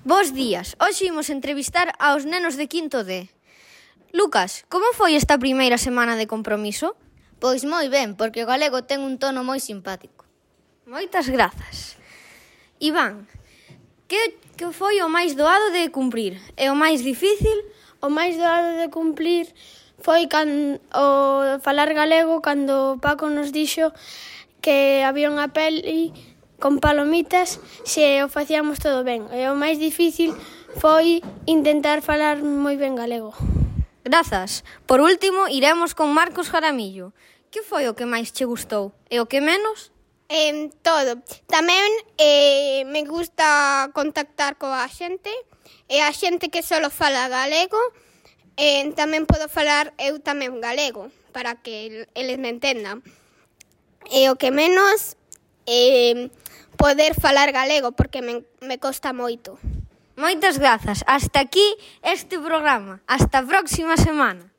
Bos días, hoxe imos entrevistar aos nenos de quinto D. Lucas, como foi esta primeira semana de compromiso? Pois moi ben, porque o galego ten un tono moi simpático. Moitas grazas. Iván, que foi o máis doado de cumprir? E o máis difícil? O máis doado de cumplir foi o falar galego cando Paco nos dixo que había unha peli con palomitas se o facíamos todo ben. E o máis difícil foi intentar falar moi ben galego. Grazas. Por último, iremos con Marcos Jaramillo. Que foi o que máis che gustou? E o que menos? Todo. Tamén me gusta contactar coa xente, e a xente que só fala galego, tamén podo falar eu tamén galego, para que eles me entendan. E o que menos, poder falar galego, porque me costa moito. Moitas grazas. Hasta aquí este programa. Hasta a próxima semana.